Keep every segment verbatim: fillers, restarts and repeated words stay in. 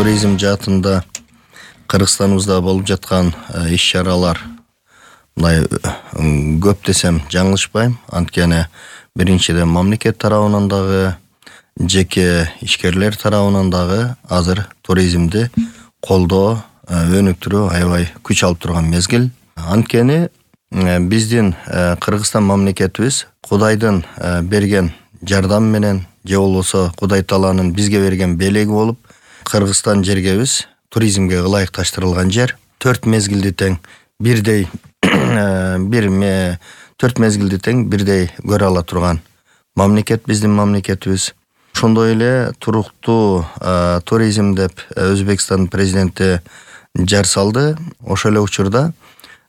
туризм жаатында Кыргызстаныбызда болуп жаткан иш-чаралар мындай көп десем жаңылышпайм. Анткени биринчиден мамлекет тарабынан дагы, жеке ишкерлер тарабынан дагы азыр туризмди колдоо, өнүктүрүү аябай күч алып турган мезгил. Анткени биздин Кыргызстан мамлекетибиз Кудайдын берген жардам менен же болбосо Кудай Тааланын бизге берген белеги болуп, Кыргызстан жергебиз туризмге ылайыкташтырылган жер. Төрт мезгилди тең бирдей бир ме төрт мезгилди тең бирдей көрө ала турган мамлекет биздин мамлекетибиз. Ошондой эле туруктуу туризм деп Өзбекстан президенти жар салды. Ошол эле учурда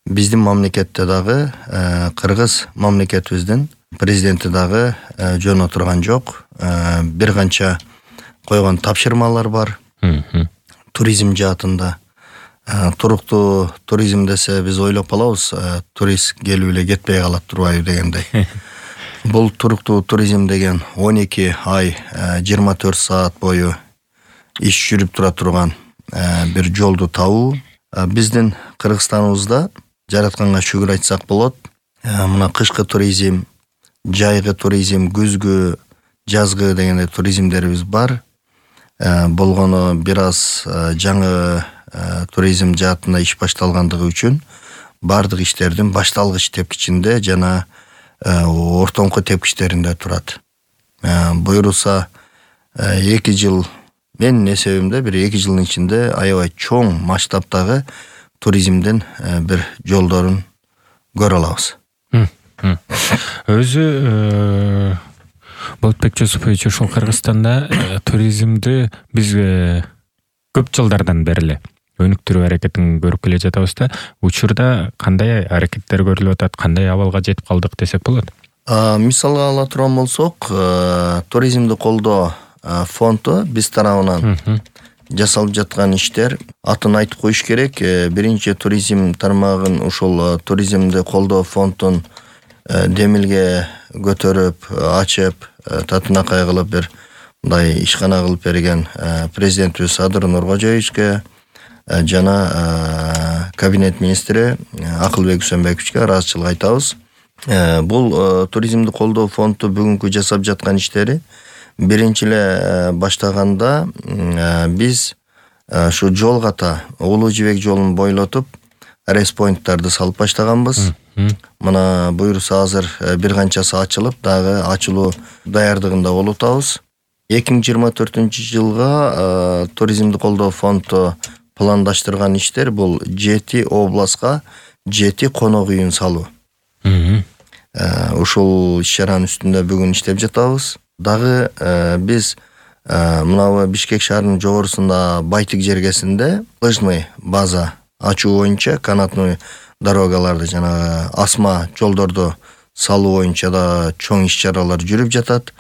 биздин мамлекетте дагы Кыргыз мамлекетибиздин президенти дагы жөн отурган жок. Бир канча койгон тапшырмалар бар. Туризм жаатында. Туруктуу туризм десе биз ойлоп калабыз, турист келип эле кетпей калат турбайбы дегендей. Бул туруктуу туризм деген он эки ай жыйырма төрт саат бою иш жүрүп тура турган бир жолду табуу. Биздин Кыргызстаныбызда жаратканга шүгүр айтсак болот. Мына кышкы туризм, жайгы туризм, күзгү, жазгы дегендей туризмдерибиз бар. Болгону бир аз жаңы туризм жаатында иш башталгандыгы үчүн бардык иштердин башталгыч тепкичинде жана ортоңку тепкичтеринде турат. Буюрса эки жыл, менин эсебимде бир эки жылдын ичинде аябай чоң масштабтагы туризмдин бир жолдорун көрө алабыз. Өзү Болотбек Жусупович, ушул Кыргызстанда туризмди биз көп жылдардан бери эле өнүктүрүү аракетин көрүп келе жатабыз да. Учурда кандай аракеттер көрүлүп атат, кандай абалга жетип калдык десек болот? Мисалга ала турган болсок, туризмди колдоо фонду биз тарабынан жасалып жаткан иштер атын айтып коюш керек. Биринчи туризм тармагын ушул туризмди колдоо фондун демилге көтөрүп, ачып, татынакай кылып бир мындай ишкана кылып берген президентибиз Садыр Нуркожоевичке жана кабинет министри Акылбек Үсөнбековичке ыраазычылык айтабыз. Бул туризмди колдоо фонду бүгүнкү жасап жаткан иштери биринчи эле баштаганда биз ушу жол ката Улуу Жибек жолун бойлотуп респойнттарды салып баштаганбыз. Мына буюрса азыр бир канчасы ачылып, дагы ачылуу даярдыгында болуп атабыз. эки миң жыйырма төртүнчү жылга туризмди колдоо фонду пландаштырган иштер бул жети областка жети конок үйүн салуу. Ушул иш-чаранын үстүндө бүгүн иштеп жатабыз. Дагы биз мына Бишкек шаарынын жогорусунда Байтик жергесинде лыжный база ачуу боюнча, канатный дорогаларды жана асма жолдорду салуу боюнча да чоң иш-чаралар жүрүп жатат.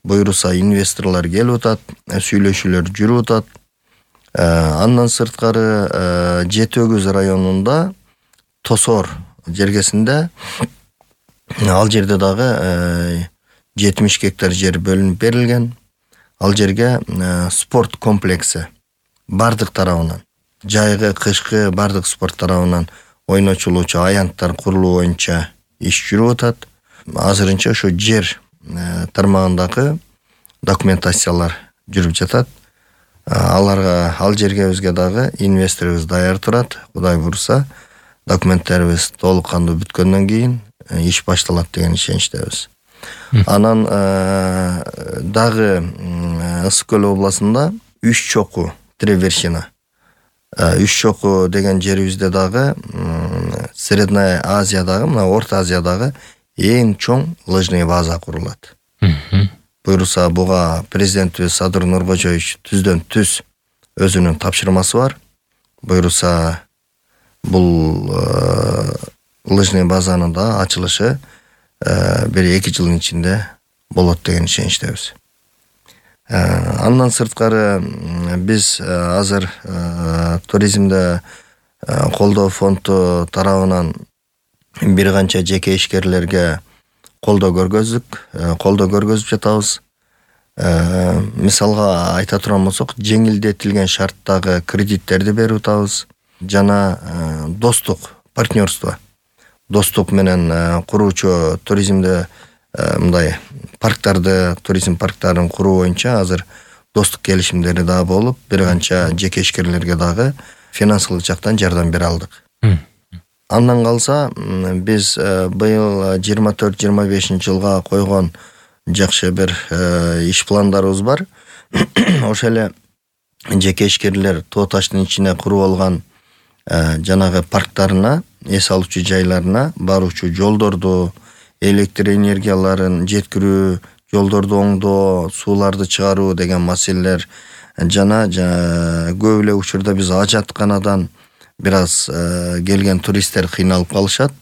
Буюрса инвесторлор келип атат, сүйлөшүүлөр жүрүп атат. Андан сырткары Жети Өгүз районунда Тосор жергесинде, ал жерде дагы жетимиш гектар жер бөлүнүп берилген. Ал жерге спорт комплекси бардык тарабынан, жайгы, кышкы бардык спорт тарабынан ойночулуучу аянттар курулуу боюнча иш жүрүп атат. Азырынча ошо жер тармагындагы документациялар жүрүп жатат. Аларга, ал жергебизге дагы инвесторубуз даяр турат. Кудай буйрса, документтерибиз толук кандуу бүткөндөн кийин иш башталат деген ишеничтебиз. Анан дагы Ысык көл областында Үч чоку, Три вершина. Үч чоку деген жерибизде дагы Средная Азиядагы, мына Орто Азиядагы эң чоң лыжный база курулат. Буйрса буга президентибиз Садыр Нуркожоевич түздөн түз өзүнүн тапшырмасы бар. Буйрса бул лыжный базанын да ачылышы бир эки жылдын ичинде болот деген ишеничтебиз. Андан сырткары биз азыр туризмде колдоо фонду тарабынан бир канча жеке ишкерлерге колдоо көргөздүк, колдоо көргөзүп жатабыз. мисалга айта турган болсок, жеңилдетилген шарттагы кредиттерди берип атабыз жана достук партнерство достук менен куруучу туризмде мындай парктарды туризм парктарын куруу боюнча азыр достук келишимдери дагы болуп, бир канча жеке ишкерлерге дагы финансылык жактан жардам бере алдык. Андан калса биз быйыл жыйырма төрт жыйырма бешинчи жылга койгон жакшы бир иш пландарыбыз бар. Ошо эле жеке ишкерлер Тоо таштын ичине куруп алган жанагы парктарына, эс алуучу жайларына баруучу жолдорду, электр энергияларын жеткирүү, жолдорду оңдоо, сууларды чыгаруу деген маселелер жана көп эле учурда биз ажатканадан бир аз келген туристтер кыйналып калышат.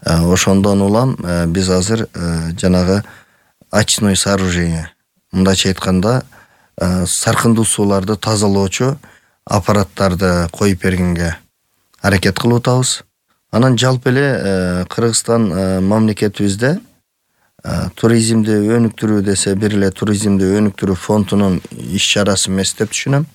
Ошондон улам биз азыр жанагы очной сооружение, мындайча айтканда саркындуу сууларды тазалоочу аппараттарды коюп бергенге аракет кылып атабыз. Анан жалпы эле Кыргызстан мамлекетибизде туризмди өнүктүрүү десе бир эле туризмди өнүктүрүү фондунун иш чарасы эмес деп түшүнөм.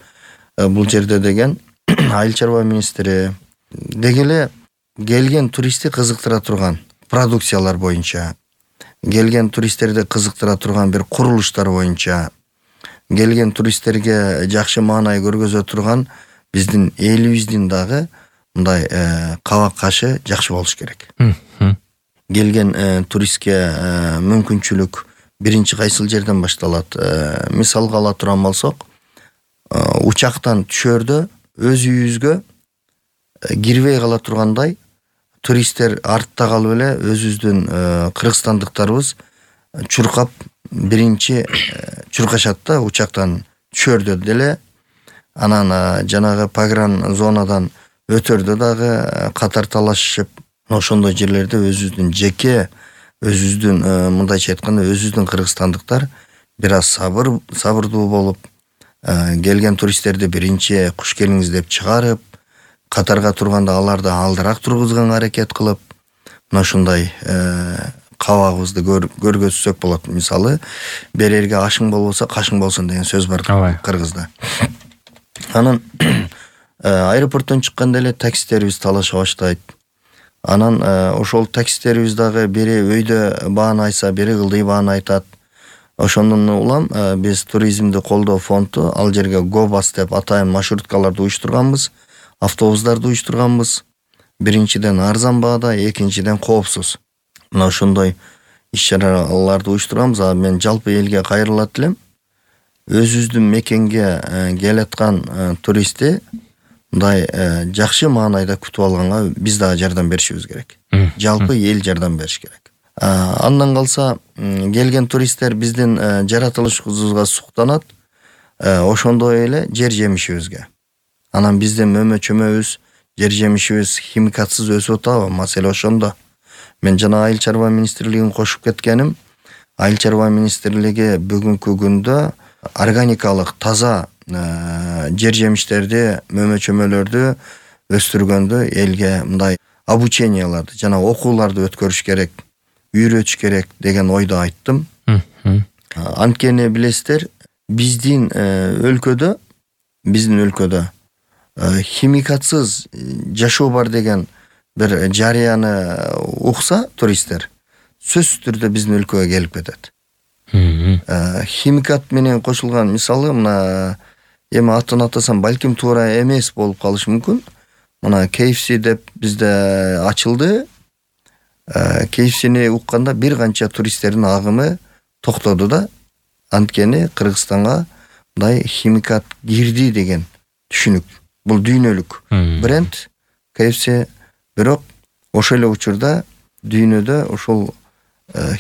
Бул жерде деген айыл чарба министри деги эле келген туристти кызыктыра турган продукциялар боюнча, келген туристтерди кызыктыра турган бир курулуштар боюнча, келген туристтерге жакшы маанай көргөзө турган биздин элибиздин дагы мындай кабак кашы жакшы болуш керек. Келген туристке мүмкүнчүлүк биринчи кайсыл жерден башталат? Мисалга ала турган болсок, учактан түшөрдө өз үйүбүзгө кирбей кала тургандай туристтер артта калып эле өзүбүздүн кыргызстандыктарыбыз чуркап биринчи чуркашат да учактан түшөрдө деле. Анан жанагы погран зонадан өтөрдө дагы катар талашышып, ошондой жерлерде өзүбүздүн жеке өзүбүздүн мындайча айтканда өзүбүздүн кыргызстандыктар бир аз сабыр сабырдуу болуп, келген туристтерди биринчи куш келиңиз деп чыгарып, катарга турганда аларды алдыраак тургузганга аракет кылып, мына ушундай кабагыбызды көргөзсөк болот. Мисалы, берерге ашың болбосо кашың болсун деген сөз бар кыргызда. Анан аэропорттон чыкканда эле таксистерибиз талаша баштайт. Анан ошол таксистерибиз дагы бири өйдө бааны айтса, бири кылдый бааны айтат. Ошондон улам биз туризмди колдоо фонду ал жерге Гобас деп атайын маршруткаларды уюштурганбыз, автобустарды уюштурганбыз. Биринчиден арзан баада, экинчиден коопсуз. Мына ошондой иш-чараларды уюштурганбыз. А мен жалпы элге кайрылат элем. Өзүбүздүн мекенге келаткан туристти мындай жакшы маанайда күтүп алганга биз дагы жардам беришибиз керек. Жалпы эл жардам бериш керек. Андан калса келген туристтер биздин жаратылышыбызга суктанат, ошондой эле жер жемишибизге. Анан биздин мөмө чөмөбүз, жер жемишибиз химикатсыз өсүп атабы? Маселе ошондо. Мен жана айыл чарба министрлигин кошуп кеткеним, айыл чарба министрлиги бүгүнкү күндө органикалык таза жер жемиштерди, мөмө чөмөлөрдү өстүргөндө элге мындай обученияларды жана окууларды өткөрүш керек, үйрөтүш керек деген ойду айттым. Анткени билесиздер, биздин өлкөдө, биздин өлкөдө химикатсыз жашоо бар деген бир жарыяны укса туристтер, сөзсүз түрдө биздин өлкөгө келип кетет. Химикат менен кошулган, мисалы, мына эми атын атасам балким туура эмес болуп калышы мүмкүн. Мына кей эф си деп бизде ачылды. кей эф сини укканда бир канча туристтердин агымы токтоду да. Анткени Кыргызстанга мындай химикат кирди деген түшүнүк. Бул дүйнөлүк бренд кей эф си, бирок ошол эле учурда дүйнөдө ошол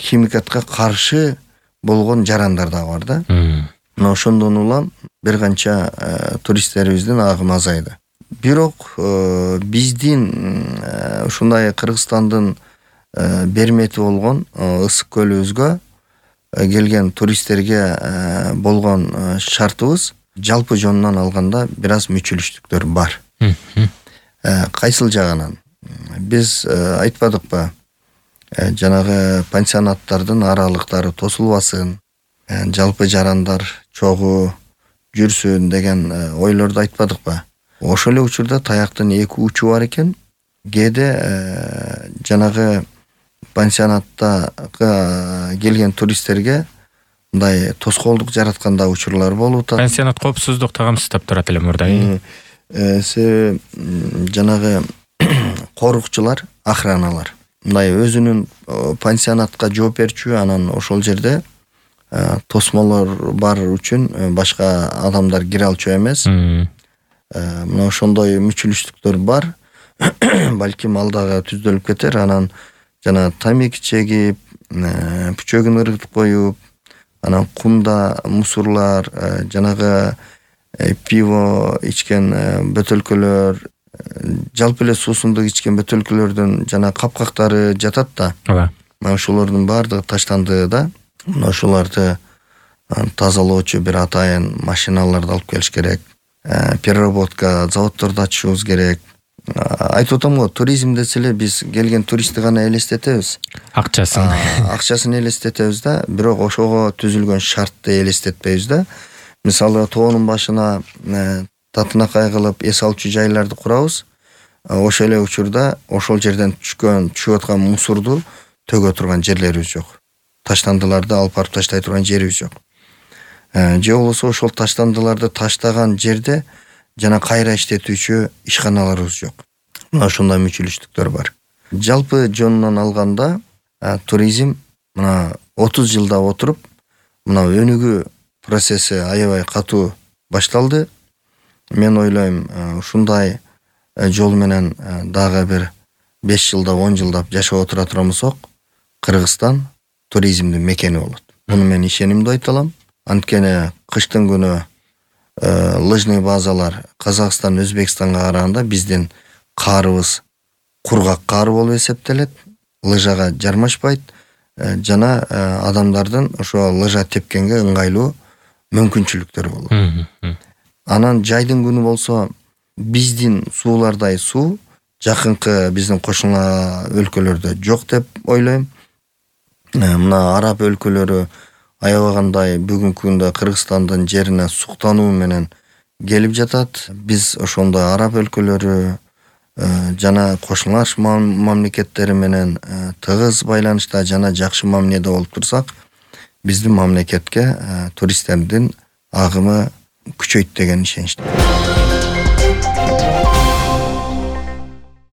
химикатка каршы болгон жарандар да бар да. Мына ошондон улам бир канча туристтерибиздин агымы азайды. Бирок биздин ушундай Кыргызстандын бермети болгон ысык көлүбүзгө келген туристтерге болгон шартыбыз жалпы жонунан алганда бир аз мүчүлүштүктөр бар. Кайсыл жагынан? Биз айтпадыкпы? Жанагы пансионаттардын аралыктары тосулбасын, жалпы жарандар чогуу жүрсүн деген ойлорду айтпадыкпы. Ошол эле учурда таяктын эки учу бар экен. Кээде жанагы пансионаттагы келген туристтерге мындай тоскоолдук жаратканда учурлар болуп атат. Пансионат коопсуздук тагамсыздап турат эле мурда. Себеби жанагы корукчулар, охраналар мындай өзүнүн пансионатка жооп берчү, анан ошол жерде тосмолор бар үчүн башка адамдар кире алчу эмес. Мына ошондой мүчүлүштүктөр бар. Балким ал дагы түздөлүп кетер. Анан жана тамеки чегип, пүчөгүн ыргытып коюп, анан кумда мусурлар, жанагы пиво ичкен бөтөлкөлөр, жалпы эле суусундук ичкен бөтөлкөлөрдүн жана капкактары жатат да. Ооба. Мына ошолордун баардыгы таштанды да. Мына ошолорду тазалоочу бир атайын машиналарды алып келиш керек. Переработка заводдорду ачышыбыз керек. Айтып атам го, туризм десе эле биз келген туристти гана элестетебиз. Акчасын. Акчасын элестетебиз да, бирок ошого түзүлгөн шартты элестетпейбиз да. Мисалы тоонун башына татынакай кылып эс алчу жайларды курабыз. Ошол эле учурда ошол жерден түшкөн, түшүп аткан мусорду төгө турган жерлерибиз жок. Таштандыларды алып барып таштай турган жерибиз жок. Же болбосо ошол таштандыларды таштаган жерде жана кайра иштетүүчү ишканаларыбыз жок. Мына ошондой мүчүлүштүктөр бар. Жалпы жонунан алганда туризм мына отуз жылда отуруп, мына өнүгүү процесси аябай катуу башталды. Мен ойлойм, ушундай жол менен дагы бир беш жылда, он жылда жашап отура турмусок, Кыргызстан туризмдин мекени болот. Муну мен ишенимдүү айта алам. Анткени кыштын күнү лыжный базалар Казакстан, Өзбекстанга караганда биздин каарыбыз кургак каар болуп эсептелет, лыжага жармашпайт жана адамдардын ошо лыжа тепкенге ыңгайлуу мүмкүнчүлүктөрү болот. Анан жайдын күнү болсо биздин суулардай суу жакынкы биздин кошуна өлкөлөрдө жок деп ойлойм. Мына араб өлкөлөрү аябагандай бүгүнкү күндө Кыргызстандын жерине суктануу менен келип жатат. Биз ошондой араб өлкөлөрү жана кошуналаш мамлекеттери менен тыгыз байланышта жана жакшы мамиледе болуп турсак, биздин мамлекетке туристтердин агымы күчөйт деген ишеничтемин.